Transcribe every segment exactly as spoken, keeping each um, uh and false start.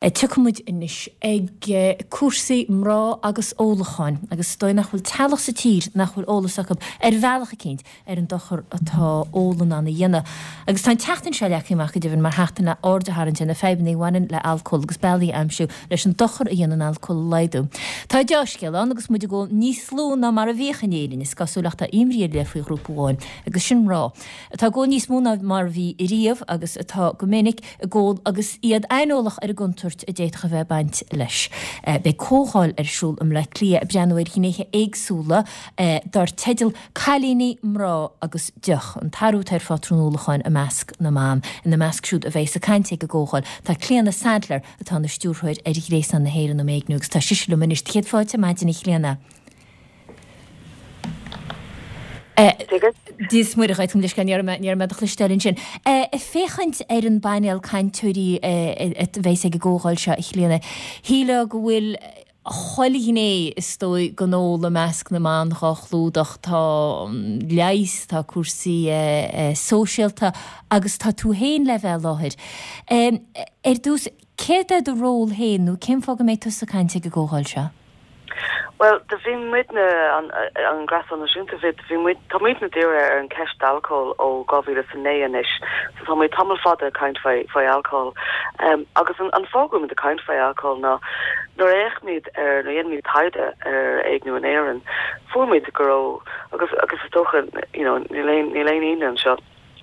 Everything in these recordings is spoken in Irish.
Tiocfaimid anois ag cúrsaí mná agus ólacháin agus is dóigh nach bhfuil teaghlach sa tír nach bhfuil eolas acu ar bhealach eicínt ar an dochar atá ól in ann a dhéanamh. Agus tá an tseachtain seo leagtha amach go deimhin mar sheachtain le aird a tharraingt ar na fadhbanna a bhaineann le alcól agus bealaí a aimsiú leis an dochar a dhéanann alcól a laghdú. Tá dea-scéal ann agus muid ag ól níos lú ná mar a bhíodh in Éirinn, is cosúil ach tá imní ar leith faoi ghrúpa amháin agus sin mná atá ag ól níos mó ná mar a bhí riamh agus atá go minic ag ól agus iad aineolach ar an gcontúirt a d'fhéadfadh a bheith ag baint leis. Beidh comhdháil ar siúl i mBleá Cliath ag breathnú ar ghnéithe éagsúla dar teideal 'Cailíní, Mná agus Deoch', an t-athrú atá ar phátrún ólacháin i measc na mban. Ina measc siúd a bheidh ag caint ag an gcomhdháil tá Clíona Saidléar atá ina stiúrthóir ar Ghréasán na hÉireann um Éigniú agus tá sise liom anois. Céad fáilte ar maidin a Chlíona. Dia is Muire dhuit, leis ní raibh mé do chloisteáil ansin. Ag féachaint ar an bpainéal cainteoirí a bheas ag an gcomhdháil seo, a Chlíona, shílfeá go bhfuil chuile ghné is dóigh den ól i measc na mban dhá chlúdach, tá leigheas, tá cúrsaí sóisialta agus tá tú féin le bheith i láthair. Ar dtús, céard é do ról féin nó cén fáth go mbeidh tusa ag caint ag an gcomhdháil seo? Bhuel, do bhí muidne, an an Gréasán Náisiúnta, bhí bhí muid, tá muidne dírithe ar an ceist alcóil ó dhá mhíle is a naoi anois, so tá muid tamall fada ag caint faoi faoi alcól. Um, agus an an fáth go bhfuil muid ag caint faoi alcól ná nuair a fhéachaimid ar, nuair a dhéanaimid taighde ar éigniú in Éirinn, fuair muid go raibh, agus agus is dócha, you know, níl aon níl aon ionadh anseo,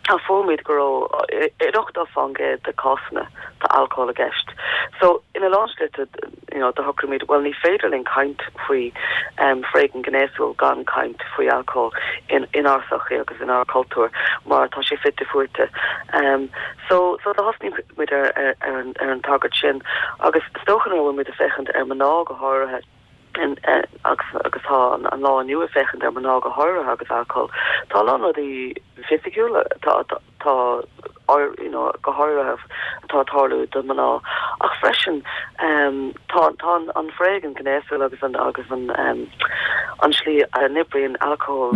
Tá fuair muid go raibh in ochtó faoin gcéad de cásanna tá alcól i gceist. So ina lán slite you know do shocraigh muid bhuel ní féidir linn caint faoi um foréigean gnéasúil gan caint faoi alcól in inár sochaí agus inár cultúr mar tá sé fite fuaite. Um so so do thosnaigh muid ar ar ar an ar an tagairt sin agus is dócha nuair a bhfuil muid ag féachaint ar mná go háirithe in agus agus tá an lá inniu ag féachaint ar mná go háirithe agus alcól. Tá a lán rudaí fisiciúla tá tá you know go háirithe atá ag tarlú do mná ach freisin um tá tá an foréigean gnéasúil agus an agus an um an slí a n-oibríonn alcól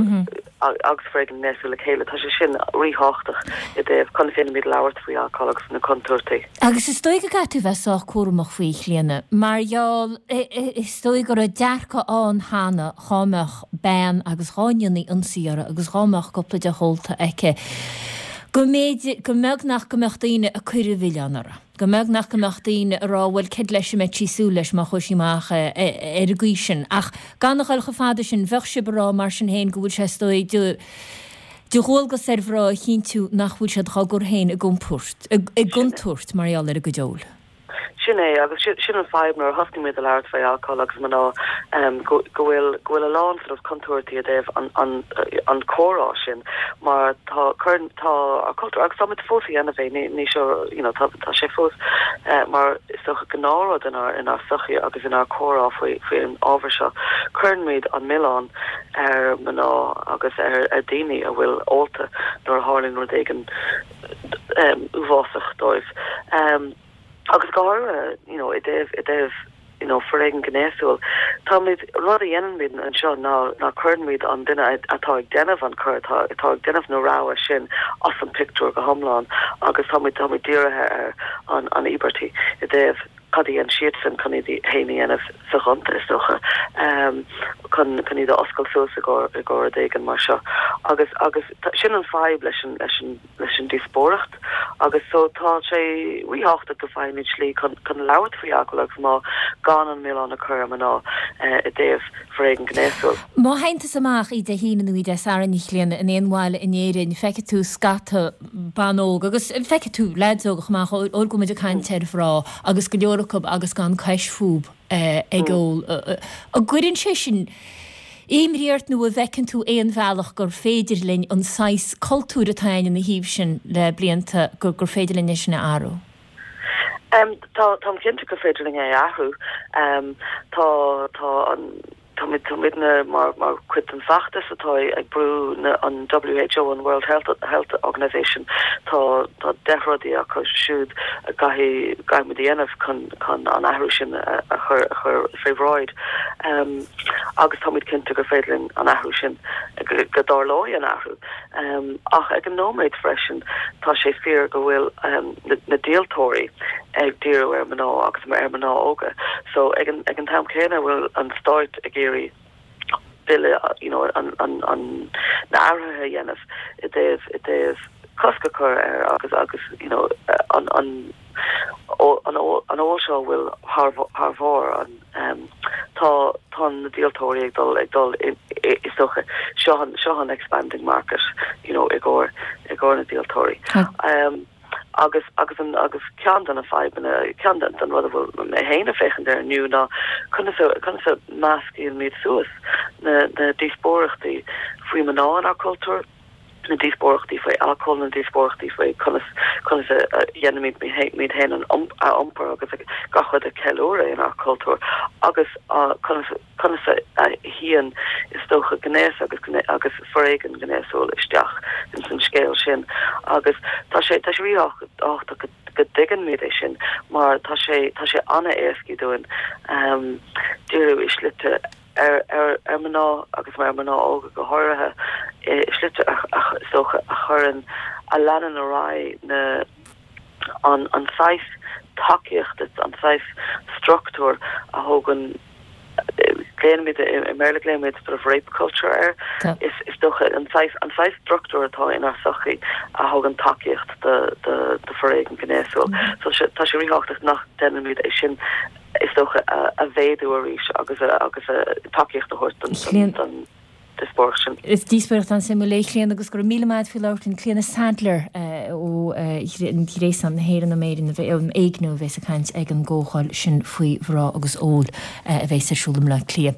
agus foréigean gnéasúil le chéile, tá sé sin ríthábhachtach i dtaobh conas a dhéanaimid labhairt faoi alcól agus na contúirtí. Agus is dóigh go gcaithfidh tú bheith sách cúramach faoi, a Chlíona, mar gheall, is dóigh go raibh dearcadh ann cheana dhá mbeadh bean agus dhá ndéanfaí ionsaí uirthi agus dhá mbeadh cúpla deoch ólta aici, go mb'fhéidir, go mbeag nach go mbeadh daoine ag cur an mhilleáin uirthi, go mbeag nach go mbeadh daoine ag rá bhuel céard leis a mbeadh sí ag súil leis má chuaigh sí amach ar an gcaoi sin. Ach gan a dhul chomh fada sin, bheadh sibh ag rá mar sin féin go bhfuil sé is dóigh de de dhualgas ar mhná a chinntiú nach bhfuil siad dhá gcur féin i gcompúirt, i gcontúirt mar gheall ar a gcuid óil. Sin é, agus sin an fadhb nuair a thosnaigh muid a labhairt faoi alcól agus mná, go bhfuil, go bhfuil a lán sort of contúirtí i dtaobh an, an, an comhrá sin mar tá, cuireann, tá ár cultúr, agus táimid fós a dhéanamh é, ní, ní seo, you know, tá, tá sé fós mar is dócha gnáthrud inár, inár sochaí agus inár comhrá faoi, faoi an ábhar seo. Cuireann muid an milleán ar mná agus ar, ar daoine a bhfuil ólta nuair a tharlaíonn rud éigin uafásach dóibh. Agus go háirithe, you know, i dtaobh, i dtaobh, you know, foréigean gnéasúil, táimid, rud a dhéanann muid anseo ná, ná cuireann muid an duine atá ag déanamh an coir, atá, atá ag déanamh na rogha sin as an pictiúr go hiomlán agus táimid, táimid dírithe ar an, an íobartaí i dtaobh cad a dhéan siadsan chun iad féin a dhéanamh soghonta, is dócha, chun, chun iad a oscailt suas i gcomhair, i gcomhair rud éigin mar seo. Agus, agus sin an fadhb leis an, leis an, leis an díospóireacht agus so tá sé ríthábhachtach go bhfaighimid slí chun chun labhairt faoi alcól agus mná gan an milleán a chur ar mná i dtaobh foréigean gnéasúil. Má théann tusa amach oíche Dé hAoine nó oíche Dé Sathairn, a Chlíona, in aon bhaile in Éirinn, feicfidh tú scata ban óg agus feicfidh tú leaids óga chomh maith, óir go bhfuil muid ag caint ar mhná agus go leor acu agus gan cois fúb ag ól. An gcuireann sé sin imní ort nó an bhfeiceann tú aon bhealach gur féidir linn an saghas cultúir atá againn ina thaobh sin le blianta, gur gur féidir linn é sin a athrú? Tá, táim cinnte gur féidir linn é a athrú. Tá, tá an, Táimidne mar mar chuid den feachtas atá ag brú na an WHO an World Health Health Organization tá tá deich rudaí acu siúd a gcaithfidh caithfimid a dhéanamh chun chun an athrú sin a a chur a chur fé bhráid um, agus táimid cinnte gur féidir linn an athrú sin go, go dtarlóidh an athrú um, ach ag an nóiméad freisin tá sé fíor go bhfuil um, na, na díoltóirí ag díriú ar mná agus mar ar mná óga so ag an ag an t-am céanna bhfuil an stát ag iarraidh bille you know an an an na athruithe a dhéanamh i dtaobh i dtaobh cosc a chur ar agus agus you know an an an an ól seo bhfuil thar thar bharr an um, tá tá na díoltóirí ag dul ag dul is dócha seo an seo an expanding market you know i gcomhair i gcomhair na díoltóirí. Um, agus agus an agus ceann de na fadhbanna ceann den den rud a bhfuil mé féin ag féachaint air inniu ná conas conas a meascaimid suas na na díospóireachtaí faoi mná inár cultúr na díospóireachtaí faoi alcól na díospóireachtaí faoi conas conas a dhéanaimid muid féin an um, a iompar agus gach rud a ceiliúradh inár cultúr agus conas conas a théann is dócha gnéas agus agus foréigean gnéasúil isteach in san scéal sin agus tá sé tá sé ríthábhachtach go dtuigimid é sin mar tá sé tá sé an-éasca dúinn um, díriú i slite ar ar ar mná agus mar mná óga go háirithe slite is dócha a chuireann a leanann ar aghaidh na an an saghas tacaíocht an saghas struchtúr a thugann glaoimid i mBéarla glaoimid sort of rape culture air is is dócha an saghas an saghas struchtúr atá inár sochaí a thugann tacaíocht de de de foréigean gnéasúil mm. so tá sé ríthábhachtach nach ndéanaimid é sin is dócha a mhéadú arís agus a agus a tacaíocht a thabhairt don díospóireacht sin. Is díospóireacht an-suimiúil é Clíona agus go raibh míle maith faoi labhairt Clíona Saidléar ó Ghréasán na hÉireann um Éireann um Éigniú a bheas ag caint ag an gcomhdháil sin faoi mhná agus ól a bheas ar siúl i mBaile Átha Cliath.